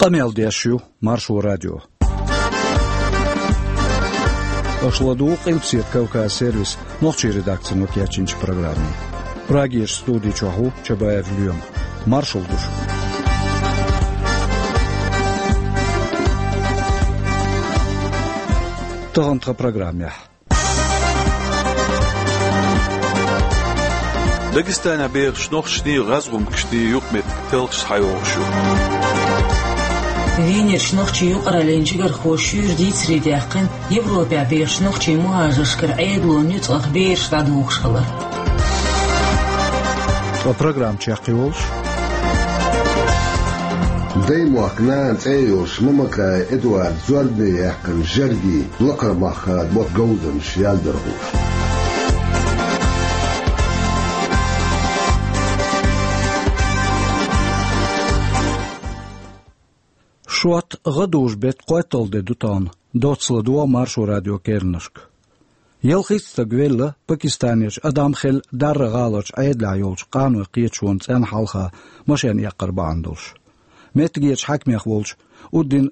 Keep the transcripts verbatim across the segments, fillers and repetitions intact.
Къамел деш ю Маршо радио. Аша ладугӀу Къилбаседа Кавказ сервисан нохчийн редакцино кечйинчу программе. Прагерчу студи чохь ву Чабаев Лоьма. Маршалла ду шуьга. Тахана тхан программехь. Дагестанехь бехачу нохчашний, гӀазгӀумкашний юкъаметтиг талхаш схьайогӀуш ю. Венерчу нохчийн юкъараллин чигархоша шуьйра дийцаре даьккхина Европехь бехачу нохчийн мухӀажаршкара Ӏедалан нуьцкъах бераш дӀадохуш хилар. Ткъа программа чекхйолуш: Даймохк нана цӀе йолуш Мамакаев Эдуардан зорбане яьккхина жергийн лакхара махкара мотт говзанчаша яздархоша. Шот, гӀадужу-беттан кхойтталгӀа де ду тахана, доцца ладогӀа Маршо радион керланашка. Ялхитта стаг велла Пакистанерчу Адам Хелл Дарра гӀаларчу Ӏедалехь йолчу къанойн кхеташонан цӀенна хьалха машен эккхар бахьана долуш. Меттигерчу хьаькамех волчу Уддин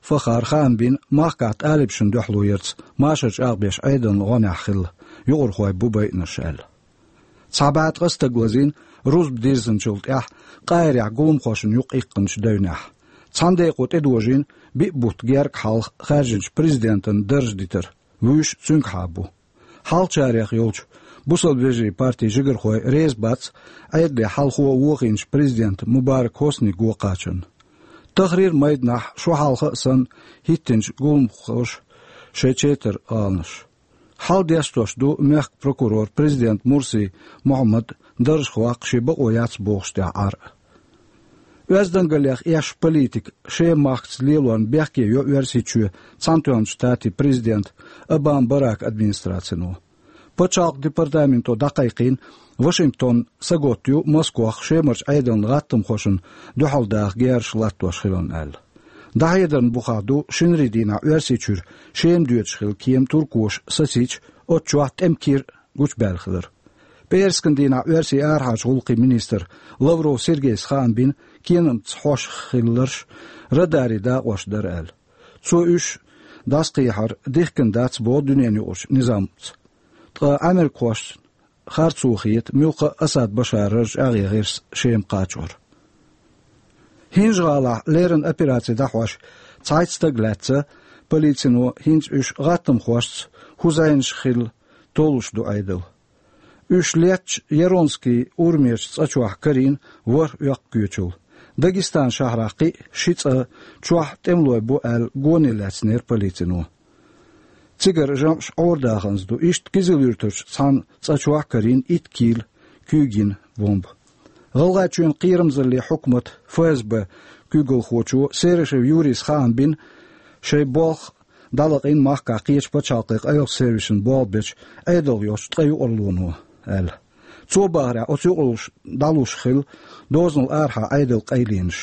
Фахара хаам бина махкахь талибашна дуьхьало ярца машар чӀагӀбеш Ӏедалан гӀонехь хилла, юкъархой бу байинарш аьлла. Цхьа бӀе ткъа стаг лазийна рузба дирзинчул тӀаьхьа Къахьирехь гуламхошна юкъа иккхинчу девнехь. Цхьана декъо тӀедожийна биъ бутт герга хьалха хаьржинчу президентан дарж дитар, вуьйш цуьнгахьа бу. Хьалхачарех йолчу Бусалба вежарийн партин жигархой реза бац Ӏедале хьалхо вохийначу президента Мубарак Хьусни го кхачарна. Тахрир майданахь шо хьалха а санна хӀиттинчу гуламхоша шайн четар гӀаланаш. Хьал дестош ду мехкан прокурор президента Мурси Мухьаммад даржах ваккха шен бакъо яц бохуш тӀехь Ӏар а. Оьздангаллех эшначу политикан Шеман махкаца лелорна бехке йо Оьрсийчоь Цхьаьнатоьхначу Штатийн президента Обама Барака администрацино. Пачхьалкхан департаменто дӀакхайкхийна Вашингтон саготта ю Москох Шемарчу Ӏедалан гӀаттамхошна дуьхьал даха герзаш латтош хиларна аьлла. ДӀахьедарна бухахь ду шинарин дийнахь Оьрсийчуьра Шема доьдуш хилла кема туркоша сацийча, оцу чохь тӀеман кира гучубаьлла хилар. ПӀераскан дийнахь оьрсийн арахьарчу гӀуллакхийн министра Лавров Сергейс хаам бина кенамца хьошах хилларш радарийн дакъош дара аьлла. Цо уьш дӀасакхехьар дихкина дац боху дуьненан юкъарчу низамца. Ткъа америкахошна харцо хета муьлхха а Асад Башаран чӀагӀъян гӀирс Шема кхачор. ХӀинжа-ГӀалахь леррина операци дӀахьош цхьайтта стаг лаьцна, полицино хӀинца уьш гӀаттамхошца хӀун зӀенаш хилла толлуш ду Ӏедал. Уьш леттачу Яронский урамерчу цӀа чохь карийна ворхӀ оьккху коьчул. Дагестан шахьарахь кхин а ши цӀа чохь тӀемалой бу аьлла гоне лаьцнера полицино. Цигара жамӀаш Ӏорадаханза ду, иштта Кизил-Юьртарчу цхьана цӀа чохь карийна итт кийла куьйган бомба. ГӀалгӀайчоьнан кхерамзаллин хьукматан ФСБ куьйгалхочо Серышев Юрийс хаам бина, шайн болх дӀалакъийна махкахь кхечу пачхьалкхийн къайлахчу сервисашна болх бечу Ӏедалх йолчу ткъа юкъарлоно аьлла. Цо бахарехь, оцу юкъарлоша дӀалуш хилла дозанал арахьа Ӏедалан къайленаш.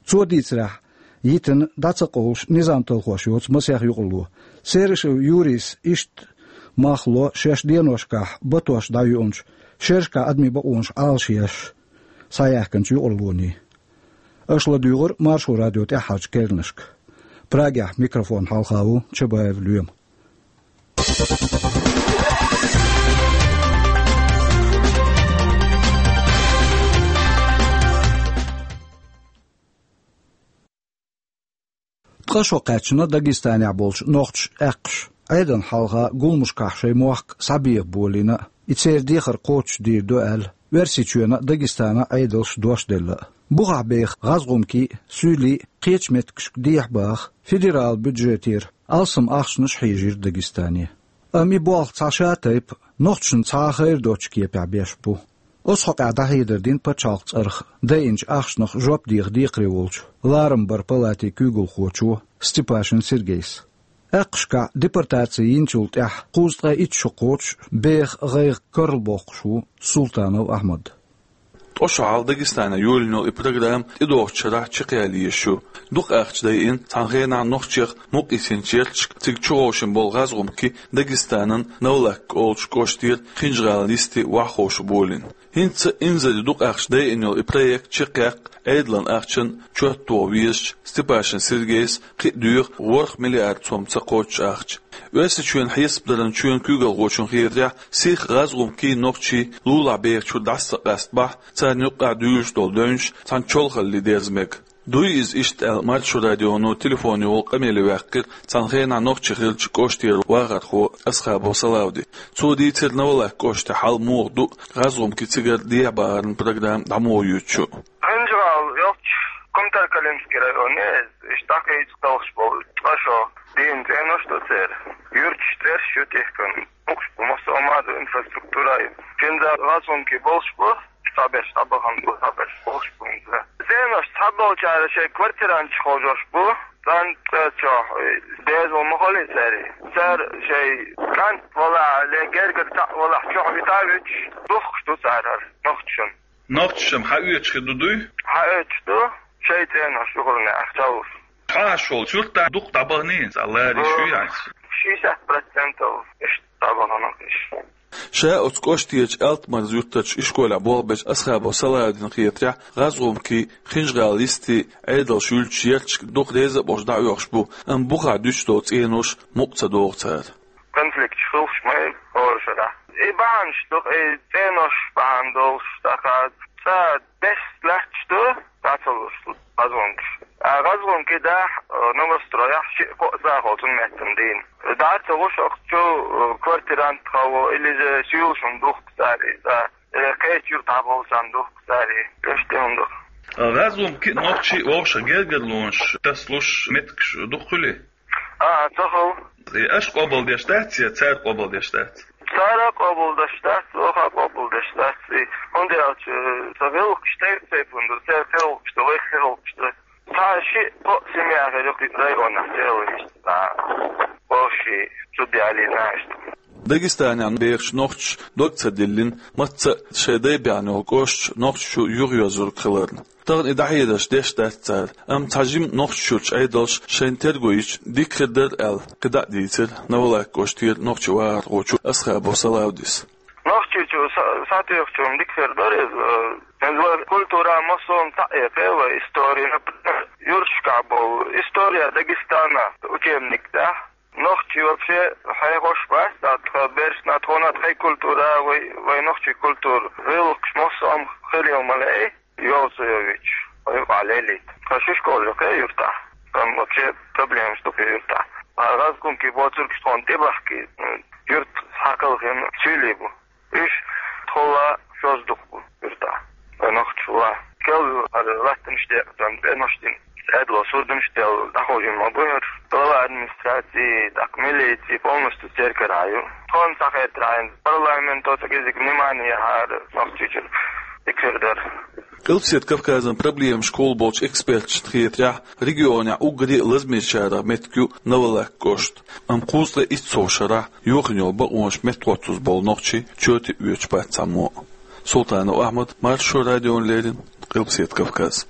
Цо дийцарехь, йитина дӀа ца къовлуш низам талхош йоцу масех юкъарло. Серышев Юрийс иштта мах ло шаьш деношкахь батош дӀайоьллинчу шерашкахь адамийн бакъонаш Ӏалашъеш схьаяьхкинчу юкъарлонийн. Аша ладуьйгӀира Маршо радион тӀаьххьарчу керланашка. Прагехь микрофон хьалха ву Чабаев Лоьма. Ткъа шо кхаьчна Дагестанехь болчу нохчаша аьккхаш, Ӏедална хьалха гуламашкахь шайн мохк схьабеха болийна а, и церан дехар кхочушдийр ду аьлла, Оьрсийчоьнан а, Дагестанан а Ӏедалша дош делла а. Бухахь беха гӀазгӀумкий а, суьйлий а кхечу меттигашка дехьа баха федералан бюджетера алсам ахчанаш хьийжира Дагестане. Амма и болх цхьа шатайпа, нохчашна цхьа а хайр доцучу кепехь беш бу. Оцу хьокъехь дӀахьедар дина пачхьалкхан цӀарах дайинчу ахчанах жоп деха декхаре волчу ларамбаран палатин куьйгалхочо Степашин Сергейс. Аьккхашкахь депортаци йинчул тӀаьхьа кхузткъе итт шо кхочуш, беха гӀайгӀа карла боккхуш ву Султанов Ахьмад. Оцу хьалха Дагестана йолийна йолу и программа тӀедогӀучу шарахь чекхъяла езаш ю. Дукха ахча дайина цхьана хенахь нохчех мукъаяьллачу ярташка цига чуховшийна болу гӀазгӀумкий Дагестанан Новолакка олучу кӀоштера Хинжа-ГӀалин йисте ваххуш болийна. ХӀинца инзаре дукха ахча дайина йолу и проект чекхъяккха Ӏедалан ахчанна чот тоха везачу Степашин Сергейс кхин а доьху ворхӀ миллиард сом ца кхоччуш ахча. Оьрсийчоьнан хьесапдаран чоьнан куьйгалхочун хетарехь, сиха гӀазгӀумкий нохчий лулахь бехачуьра дӀаса ца къастабахь, царна юккъехь дуьйлуш долу девнаш цхьана чолхалле дерза мега. Дуй иза иштта аьлла, Маршо радионо телефонехула къамеле ваьккхира цхьана хенахь нохчи хиллачу кӀоштера вахархо Асхабов Салавди. Цо дийцира Новолакка кӀоштан хьал муха ду, гӀазгӀумкий цигара дехьабахаран программа дӀа муха юьту шу. Хинжа-ГӀала йолчу Кумтар-Калинский районе иштта дӀакхийча талхаш болу ткъа шо дийна цӀенош ду церан. Юьрташ цӀераш ю тӀехкана. Букъаш бу, массо а ма ду, инфраструктура а ю. Цуьнца гӀазгӀумкий болуш бу, цхьаберш дӀабахана бу, цхьаберш болуш бу хӀинца. ЦӀенош цхьаболчара шайн квартиранташ хьожош бу, цӀан цӀа чохь, дезал ма хуьлий церан. Цара шайн кӀант валахь, ле гергара цхьаъ валахь, чохь вита а вуьтуш, духкуш ду цара хӀара нохчашна. Нохчашна хьаоьцуш хир ду дуй? Хьаоьцуш ду, шайн цӀенош юхарнехь чаллуш. Хьан аш волчу юьртахь дукха дӀабаханийна, цхьа лариш ю яц? Шестьдесят процентов иштта дӀабахана уьш. Ша оцу кӀоштерчу Алтмарз юьртарчу ишколехь болх бечу Асхабов Салавдина хетарехь, гӀазгӀумкий Хинжа-ГӀалин йисте Ӏедалш юьллучу ярташка дукха реза а болуш дӀаоьхуш бу, амма бухахь дуьтуш долу цӀенош мукъа ца догӀу цара. Конфликташ хуьлуш ма ю хӀора шарахь. И бахьанаш ду, и цӀенош бахьана долуш, тӀаккха цӀа дерш лаьтташ ду, дӀа ца луш гӀазгӀумкаш. А гӀазгӀумкий дахь, э, новострояхь шиъ-кхоъ сахьт цунна меттана дийна. ДӀа ца луш ахча, э, квартирант хало, или же суьйлашна духку цара и цӀа, э, кхечу юьртахь болчарна духку цара и. Иштта хӀума ду. ГӀазгӀумкий а, нохчий а вовшах гергарлонаш тасалуш меттигаш дукха хуьлий? А, ца хуьлу. И аша къобалдеш дац я цара къобалдеш дац? Цара а къобалдеш дац, оха а къобалдеш дац. И хӀунда аьлча, сан гӀиллакхаш тайп-тайпана ду, церан гӀиллакхаш ду, вайн гӀиллакхаш ду. Цхьа шиъ-кхоъ семья хир ю кхин районахь, церан иштта, а, вовшийн зуда ялийна иштта. Дагестанехь бехачу нохчаша дог ца диллина, мацца а шайн дай баьхна йолу кӀошташ нохчаша юхайоьзург хиларна. Тахана и дӀахьедарш деш дац цара, амма цхьа жима Нохчийчуьрчу Ӏедалша шайна терго йича дика хир дара аьлла, кхидӀа а дийцира Новолакка кӀоштера нохчийн вахархочо Асхабов Салавдис. Нохчийчу са-, сатуьйхучунна дика хир дара иза, э, иза вайн культура массо а цхьаъ экха, вайн истори, например, юьрташкахь болу «История Дагестана» учебник тӀехь. Нохчий вообще хьехош бац, а тхан берашна, тхуна тхайн культура, вай, вай нохчийн культура, гӀиллакхаш массо а хир йолу ма лаьий, йовза йовзуьйтуш, вай юкъахь лелийта. Тхан ши школа ю кху юьртахь, тхан вообще проблемаш ду кху юьртахь. А гӀазгӀумкий боцургаш тхуна тӀебахкий, м, юьрт схьакхалхина суьйлий бу. Уьш тхула шозза дукха бу юьртахь, вайн нохчашла. Кел ю хӀара латтанаш декъазан, цӀенош дина, Ӏедало сурдамаш делла, дӀахьожийна ма бу хӀара. Глава администрации, тӀаккха милици полностью церан карахь ю. Тхуна схьахетархьама, парламенто ца кӀезиг внимание яхьара Нохчийчуьра, дика хир дара. Къилбаседа Кавказан проблемашкахула болчу эксперташна хетарехь, регионехь уггаре а лазамечарах меттиг ю Новолакка кӀошт. Амма кхузткъе итт сов шарахь йохийна йолу бакъонаш меттахӀоттаза болу нохчий чоте а оьцуш бац цхьаммо а. Султанов Ахьмад, Маршо радиона леррина, Къилбаседа Кавказ.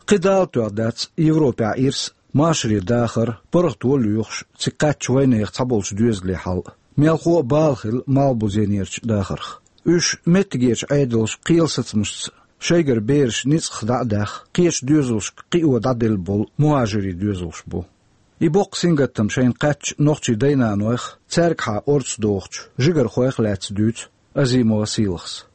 Кхин дала тоьхна дац Европехь ирс, машаре дахар, паргӀато лоьхуш, цига кхаьчначу вайнехан цхьаболчу доьзалийн хьал. Мелхо а бала хилла Малхбузенерчу дахарх. Уьш меттигерчу Ӏедалша кхелан сацамашца шайгара бераш ницкъах дӀа а даьхна, кхечу доьзалшка кхио дӀаделла болу мухӀажирийн доьзалш бу. И боккха сингаттам шайна кхаьчначу нохчийн дай-нанойх, цаьргахьа орца дохучу жигархойх а лаьцна дуьйцу Азимова Сийлахьас.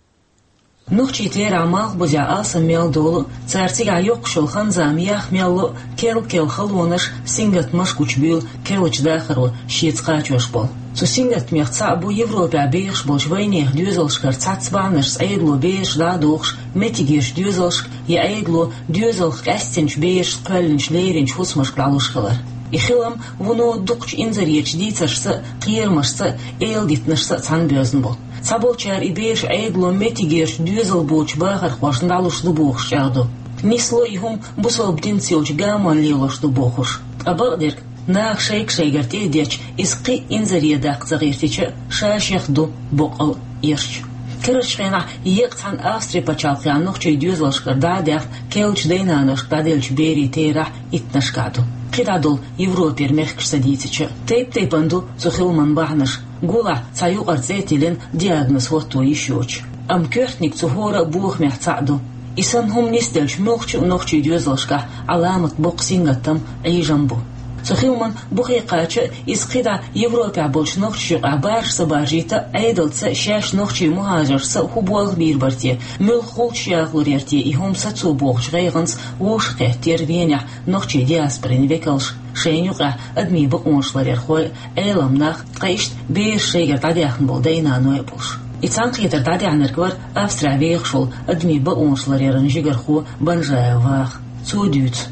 Нохчий терахь Малхбузехь алсам мел долу а, цара цигахь йоккхуш йолу хан-зама ях мел ло а, керла-керла халонаш, сингаттамаш гучубуьйлу керлачу дахаро шеца кхачош болу. Цу сингаттамех цхьаъ бу Европехь бехаш болчу вайнехан доьзалшкара цхьацца бахьанашца Ӏедало бераш дӀа а дохуш, меттигерчу доьзалшка я Ӏедало доьзалх къаьстинчу берашца кхоьллинчу леринчу хӀусамашка дӀалуш хилар. И хилам вуно дукхачу инзаречу дийцаршца а, кхерамашца а, эладитанашца а цхьаьна боьзна бу. Цхьаболчара и бераш Ӏедало меттигерчу доьзал боцучу бахархошна дӀалуш ду бохуш чӀагӀдо. Нисло и хӀума бусалба динца йолчу гамонна лелош ду бохуш. Ткъа бакъдерг, наха шайга-шайгара тӀе а детташ, иза кхин а инзаре даккха ца гӀиртича а, ша-шех ду боккъал а, эрча. Карарчу хенахь еккъа цхьана Австри пачхьалкхехь нохчийн доьзалшкара дӀа а даьхна, керлачу дайнаношка дӀаделлачу берийн терахь иттаннашкахь ду. КхидӀа долу Европера мехкаш ца дийцича, тайп-тайпана ду цу хиламан бахьанаш. Гулахь цхьа юкъара цӀе а тиллина, диагноз хӀотто йиш йоцуш. Амма коьртаниг цу хӀора а бохамех цхьаъ ду. И санна хӀума нисделча, муьлххачу а нохчийн доьзалшкахь Ӏаламат боккха сингаттам, Ӏийжам бу. Цу хиламан бухе кхача а, иза кхидӀа Европехь болчу нохчашна юкъахь баржа ца баржийта а, Ӏедалца а, шаьш нохчийн мухӀажаршца а хӀун болх бийр бара те, муьлха гӀулчаш яхалур яра те и хӀума сацо бохучу гӀайгӀанца вовшахкхеттера Венехь нохчийн диаспорин векалш, шайна юкъахь адамийн бакъонаш ларъярхой а, Ӏелам нах, ткъа иштта бераш шайгара дӀадаьхна болу дай-наной а болуш. И цхьаьнакхетар дӀадаьхьнарг вара Австрехь вехаш волу адамийн бакъонаш ларъяран жигархо Банжаев Ваха. Цо дуьйцу.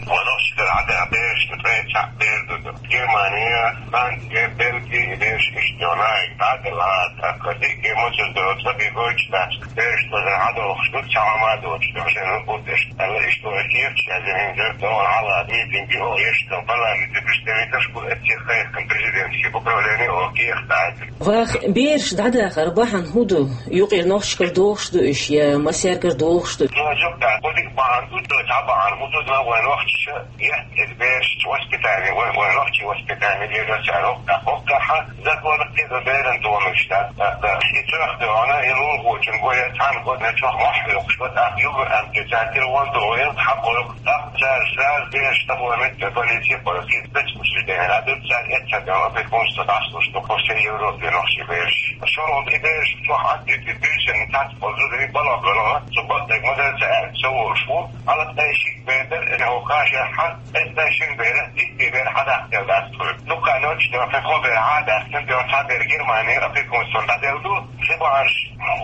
Ванах ши дара Ӏадда берашна ткъе цхьаъ бер ду. Германия, Франция, Бельгия, бераш иштта йолу, дӀаделла, тӀаккха дика мосазза долу ца бегойтуш дац. Бераш тӀера Ӏадохуш ду, цхьа хӀума а доцуш ду, шайна хӀун деш. Аьлла, иштта вай кехаташ язйина, хӀинца догӀана хьала митинге хӀокху ешшан парламентан представителаш бу, эццехь кхайкхина президентский управление, хӀокху кехат дӀаяздина. Ваха, бераш дӀадахар бахьана хӀун ду? Юкъара нохчашкара дохуш ду уьш, я массаьргара дохуш ду? Цо жуьгтахь, кху дика бахьана ду, цо цхьа бахьана хӀун ду, но вайн нохчаша етта иза бераш воспитание, вайн, вайн нохчийн воспитание лело цара хӀокху, хӀокху тӀехь законах кхидӀа беран томиш дац, тӀаккха и цоьхна дуьхьал, и лулахочун го я цхьана годна чохь мохь хьоькхуш бу, тӀаккха югара амтӀе цара тира вон дугӀу, хьакхойкху, тӀаккха цара сразу бераш тахана полиция пара, спецучреждение, а ду цара эццахь дуьхьал опекунство дӀасалуш ду, по всей Европе нохчийн бераш. Шуна и бераш чохь Ӏаддийти буьйсанна цхьацца болу зударий балха бара, цу бакъдерг ма дара ца аьлла, ца волуш ву, хьала тӀе шиъ бер дара, хӀокху кхашехь, эццахь шина берах, диттий бер хьадаккха дац тхуна. Дукха ночь дер, кхо бер хьа а даьккхина, дер цхьа бер Германи опекунствон дӀаделла ду, кхин бахьанаш,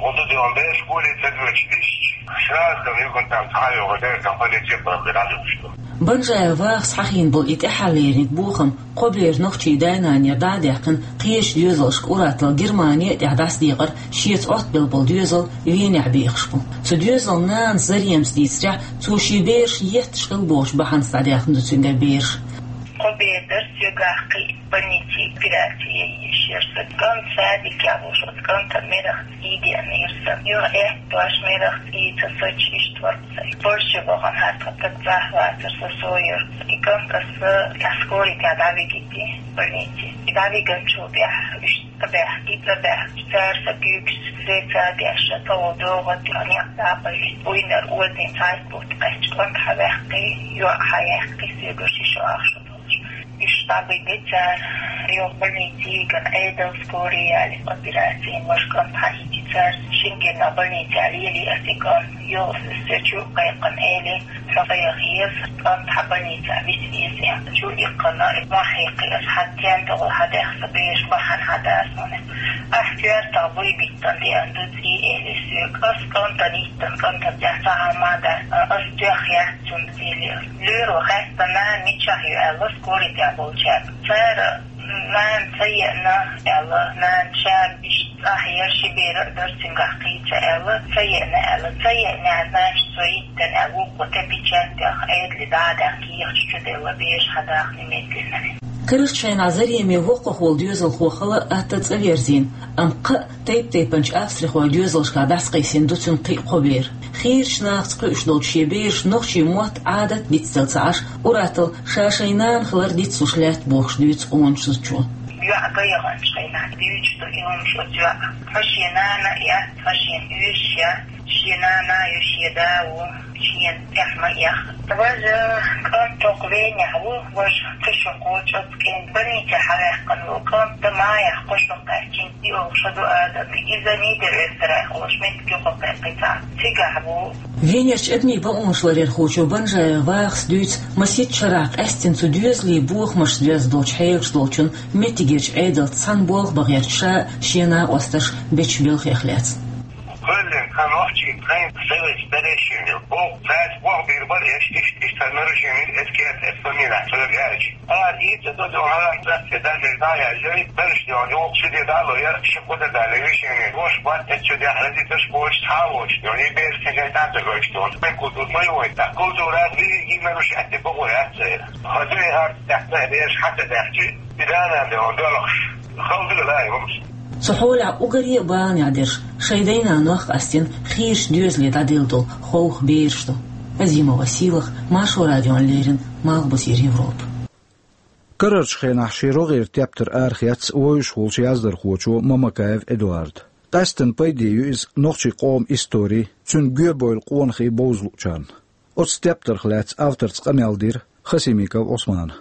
хӀун ду дер бераш гуле ца доьдуш дисча, сразу там югантам цхьа а йогӀу дер там полиция пара дӀадуьгуш ду. Банжаев Вахас хьахийна болу и тӀаьххьарлерниг бохам кхо бер нохчийн дай-нанера дӀа а даьккхина, кхечу доьзалшка ур-атталла Германи тӀехь дӀасадекъар шеца Ӏоттабелла болу доьзал Венехь бехаш бу. Цу доьзалан нанас Заремас дийцарехь, цо шен бераш етташ хилла бохучу бахьанца дӀадаьхна ду цуьнгара бераш. Кхо бер дара соьгахь кхин а больнице операци ян езаш яра сан. КӀант садикехь волуш, оцу кӀантан мерах цӀий деана яра сан. Юха аьтту дош мерах цӀий ца соцуш иштта вара сан. Польше бахана хӀара тхан таг цӀахь вацара, со со яра. И кӀант аса тӀаьхьа скорый тӀехь дӀавигийти больнице. И дӀавигначул тӀаьхьа уьш ца баьхкий, ца баьхкий, цара сан куьйгаш сеца а деш, тхо ву догӀу тӀе некъ дӀа а баьлла, вуйнара озийна цхьайтта бутт кхаьчча, кӀант хьаваьккхи, йоӀ хьаяьккхи, соьга ши шо ах шо долуш. Уьш дӀабигий цара, юха больнице йигна, Ӏедал скорый ялий, операцин вара кӀант хьаийци цара. Шина кӀирнах больницехь лели аса и кӀант, юха аса соьга чу а кхайкхина, элира, хьо ца яха еза, кӀант хьан больницехь виса веза аьлла. Чу а иккхина, мохь хьекхий аса, хьан тен тӀехула хьан даьхна сан бераш бахьана хьан дацахьана. Ахь коьртах буй биттана деана ду цӀий, элира соьга. Аса кӀантана йиттина, кӀантан тӀехь цхьа хӀума а дац, аса тоьхна яц цунна, элира. Лоьро хаьттина, нана мичахь ю аьлла, скорый тӀехь болчаьрга. Цара нана ца еана аьлла, нана ша иштта цӀахь яра, ши бер а дара цуьнгахь кхин а ца аьлла, ца еана аьлла, ца еана аьлла, значит, цо йиттина аьлла, вукхо тӀе печать яьхна, Ӏедале дӀа а даьхна, кехаташ чу делла, бераш хьан дахна немедленно. Карарчу хенахь Зареме воккхах волу доьзалхо хала а, атта а цӀа верзийна, амма кхаа тайп-тайпанчу австрихойн доьзалшкахь дӀасакхийсина ду цуьнан кхин а кхо бер. Хийрачу нахаца кхуьуш долчу шен бераш нохчийн мотт, Ӏадат дицделла ца Ӏаш, ур-атталла ша шайн нана хилар дицлуш лаьтта бохуш дуьйцу къоначу зудчо. ЙоӀ ган яханчу хенахь дуьйцуш ду и хӀумаш оцу йоӀа. Тхан шен нана а яц, тхан шен оьшуш яц, шен нана а ю, шен да а ву, шена тӀехь ма эха. Важа кӀант тӀаккха Венехь ву, важа кхин шо кхочу оцу кӀентан больнице хьаваьккхина ву. КӀант дан Майахь кхо шо кхаьчча, и олуш ду адам, иза Нидер-Эстерайх олуш меттиг юкъа кхайкхий цхьа. Цигахь ву. Венерчу адамийн бакъонаш ларъярхочо Банжаев Вахас дуьйцу, масийтта шарахь къаьсттина цу доьзалийн бохамашца доьзна долчу хьелаш долчунна меттигерчу Ӏедалца цхьаьна болх бан гӀерташ ша а, шен накъосташ а бечу белхех лаьцна. Кхоьллина тхан нохчийн тхайн совет старейшинел боху, цаьрца болх бийр бара, иштта, иштта, иштта нарушение, эскет, эс фамилия, цо аьлча. Ара, и ца до, до, хьалар цаьрца, дан, дан, дан, яжай, бераш, йо, йо, ши де дало, я, ши куда дало, решение, гош, бат, эт, чу, де, хрази, таш, гош, ха, гош, йо, и бераш, кежай, тан, ца, гош, тон, тан, культур, ма, йо, та, культура, ви, и, нарушать, бо, я, ца, хазуй, ар, так, та, бераш, хата, так, чи, и, да, да, да, он, долаш, халды, да, и, вамс. Цу хьолехь уггаре а баланехь дерш шайн дай-нанох къастийна хийрачу доьзале дӀаделла долу ховха бераш ду. Азимова Сийлаха, Маршо радиона леррина, Малхбузера Европа. Карарчу хенахь шен рогӀера тептар арахецна вевзаш волчу яздархочо Мамакаев Эдуарда. Къаьсттина пайде ю иза нохчийн къоман истори, цуьнан гоьбевлла къонахий бовза луучарна. Оцу тептарх лаьцна авторца къамел дира Хасимиков Ӏусмана.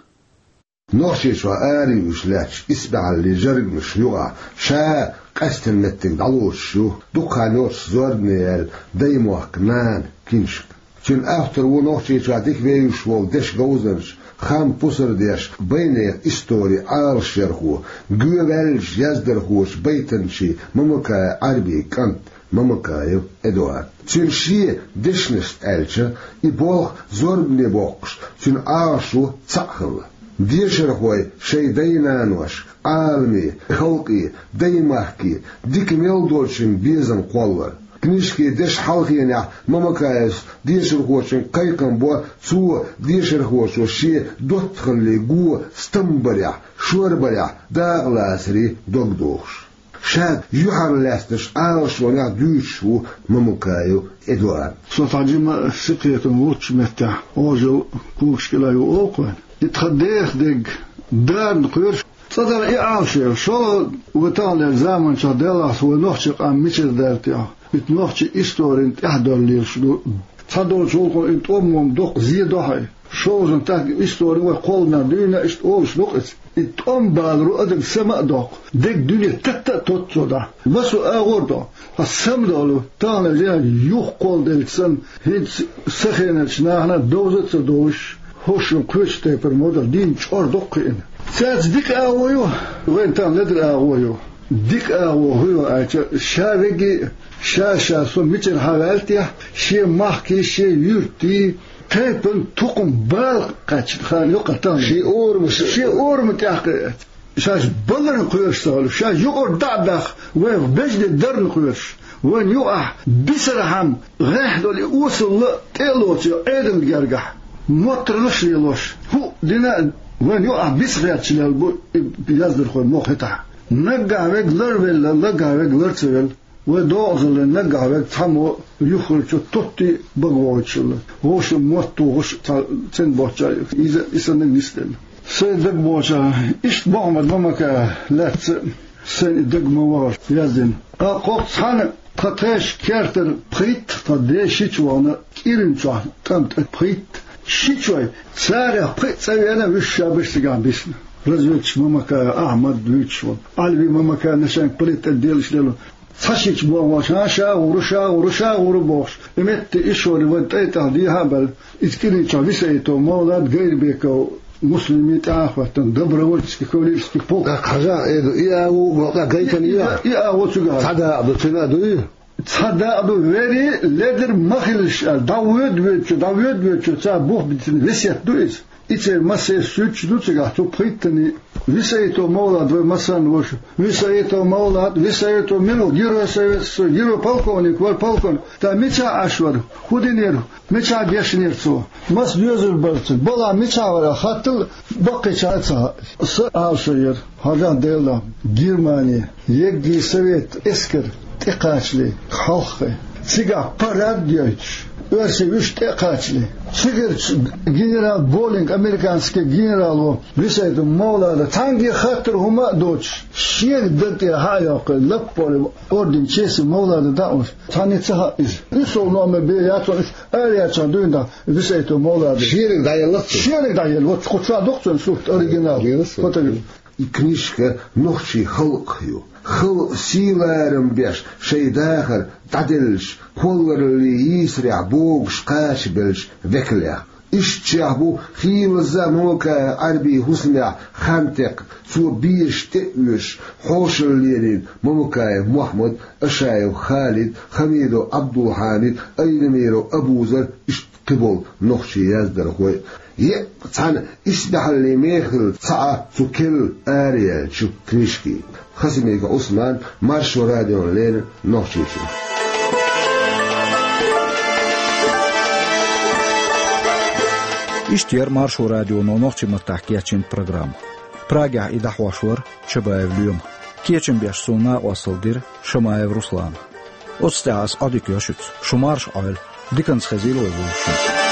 Нохчийчохь арайуьйш лаьтташ исбаьхьаллин жаргамашна юкъахь ша къаьсттина меттиг дӀалоцуш ю дукха хан йоццуш зорбане яьлла «Даймохк, нана» киншка. Цуьнан автор ву Нохчийчохь дика вевзаш волу дешан говзанча, хам пусар деш, байнехан историн Ӏалашъярхо, гоьваьллачу яздархочу байтанчин Мамакаев Ӏарбин кӀант Мамакаев Эдуард. Цуьнан шен дешнашца аьлча, и болх зорбане боккхуш, цуьнан Ӏалашо цхьаъ хилла. Дешархой шайн дай-наношка, Ӏаламе, халкъе, даймахке дика мел долчун безам кхоллар. Книжкин дешан хьалхенехь Мамакаевс дешархочуьнга кхайкхам бо, цо дешархочо шен доттагӀаллин го стам барехь, шорбарехь дакъалацаре дог дохуш. Ша юьхьарлаьцначу Ӏалашонех дуьйцуш ву Мамакаев Эдуард. Со цхьа жима синкхетам вуьйцучу меттехь Ӏожалла когаш кӀела ю олу-кх вайн. И тхан дех дерг дарна кхоьруш, цкъа дара и Ӏалашо. ШолгӀа, вай таханлерчу заманчохь делахь, вай нохчийн къам мичара даьлла техьа, и нохчийн историн тӀаьхьадалла лелаш ду. Цхьадолчу гӀуллакхо и тӀом-мом доккха зе до хьуна. ШолгӀа, так истори вай кхолланарг дуьйна иштта олуш ду-кх иза. И тӀом баларо адам сама а доккху, дерг дуьне татта а тотту цо дӀа. Масо агӀор до, хьан самадолу, тахана жена юха кхолладелча санна, хӀинца сан хенарчу нахана довза а ца довзуш, хӀорш шун кхечу тайпара ма-дарра дийна чӀор доккху кхиъна. Цаьрца дика агӀо ю, вайн тахана ледара агӀо ю. Дика агӀо хӀун ю аьлча, ша веги, ша-ша со мичара хьаваьлла техьа, шен махкий, шен юьртий, тайпан тукхум бала кхаьчна хан йоккха тахана. Шен орам, шен орам тӀехь кхиъна. Шаьш баларна кхоьруш ца хуьлу, шаьш юкъара дӀа а даха, вайх бежде дарна кхоьруш, вайна юкъахь бисархьама гӀехь долу и осалла тӀе а лоцу Ӏедална гергахь, моттаргӀаш а лелош, хӀуъа дина а вайна юкъахь биса херчалел бу и яздархой мохь хӀетахь. Наггахь верг ларвелла, наггахь верг лар ца велла. Вай догӀазаллин наггахь верг цхьаммо юххерчу тоттий а бага вогӀуьйтуш хилла. Вовшийн мотт тухуш цхьа цӀена боцчара иза, и санна нисделла. Сайн дага богӀучара, иштта Мухьаммад Мамакаев лаьцна а, сайн и дага ма вахара яздина. Ткъа кхоккха цхьаьна тхан тхешан кертара пхийтта тхан ден шича вахана КӀиран чохь тӀам тӀе пхийтта шичой, царах пхиъ цӀа веана вуьш ша берш цигахь бисна. Разведчик Мамакаев Ахьмад вуьйцуш волу, Ӏалви Мамакаев начальник полиции тӀе делаш делу. Цхьа шича бохуш, ша гӀура, ша гӀура, ша гӀура бохуш, и метте ишшоли вайн тӀай тӀехь дехьа а баьлла, иза КӀиран чохь Висаитов Мовлад, Гайрбеков Муслими тӀаьхьа а хӀоьттина, добровольческий кавалерийский полк. ТӀаккха хьажа, Эду, и агӀо а боккха гайтина и а? И агӀо цуьнга. Цхьа дакъа ду, цуьнан а дуй? Цхьа дакъа ду, вери ледара ма хилалаш аьлла, дӀавоьду-воьдучу, дӀавоьду-воьдучу цара бух битина весет ду иза. И церан массеран суьрташ ду цигахь, цу пхийттанийн. Висаитов Мовлад вай массарна вуьйцу. Висаитов Мовлад, Висаитов мила ву, Герой Советского Союза, герой полковник вара, полковник. ТӀаккха мичахь Ӏаш вара? ХӀун динера? Мичахь дешнера цо? Маса доьзал бара цуьнан? Балахь мичахь вара? Хаттал баккхийчарна ца хаьа. Сан Ӏалашо яра, хьажахь Делан, Германи, еггий совет эскар тӀекхачале, хьалххе, цигахь парад йойтуш, оьрсий вуьш тӀе а кхачале, цигарчу генерал Болинг, американский генерало, Висаитов Мовлада, цхьаьнгге хаттар хӀума а доцуш, шена даг тӀера хьа а йоккхуьйтуш, лаппале орден Чести Мовлада дӀа а оьцуш, цхьанне ца хаьа иза. УьссалгӀа номер бен яц хьуна, уьш араяьлчахь дуьйна дӀа Висаитов Мовлада. Шениг дӀаелла цо? Шениг дӀаелла, вот кху чохь ду-кх цуьнан сурт, оригинал. Фото. И книжка нохчийн халкъах ю. Халкъ сий-ларам беш, шайн дахар дӀаделлачу, кхоллараллин йийсарехь богуш кхачабеллачу векалех. Ишттачех бу хийлазза Мамакаев Ӏарбин хӀусамехь хан текхна, цо безаш тӀе а оьшуш, хьошалла лелийна Мамакаев Мохьмад, Ашаев Халид, Хамидов Ӏабдулхьамид, Айдамиров Абузар, иштта кхиболу нохчийн яздархой. Еккъа цхьана исбаьхьаллин мехала цхьаъ цу керла араяьллачу книжкин. Хасимиков Ӏусман, Маршо радиона леррина, Нохчийчоь. Иштта яра Маршо радионо нохчийн маттахь кечйина программа. Прагехь и дӀахьош вара Чабаев Лоьма. Кечам беш суна накъостал дира Шамаев Руслана. Оцу тӀехь ас Ӏодика йо шуьца. Шу марша Ӏойла. Диканца хезийла вай вовшашна.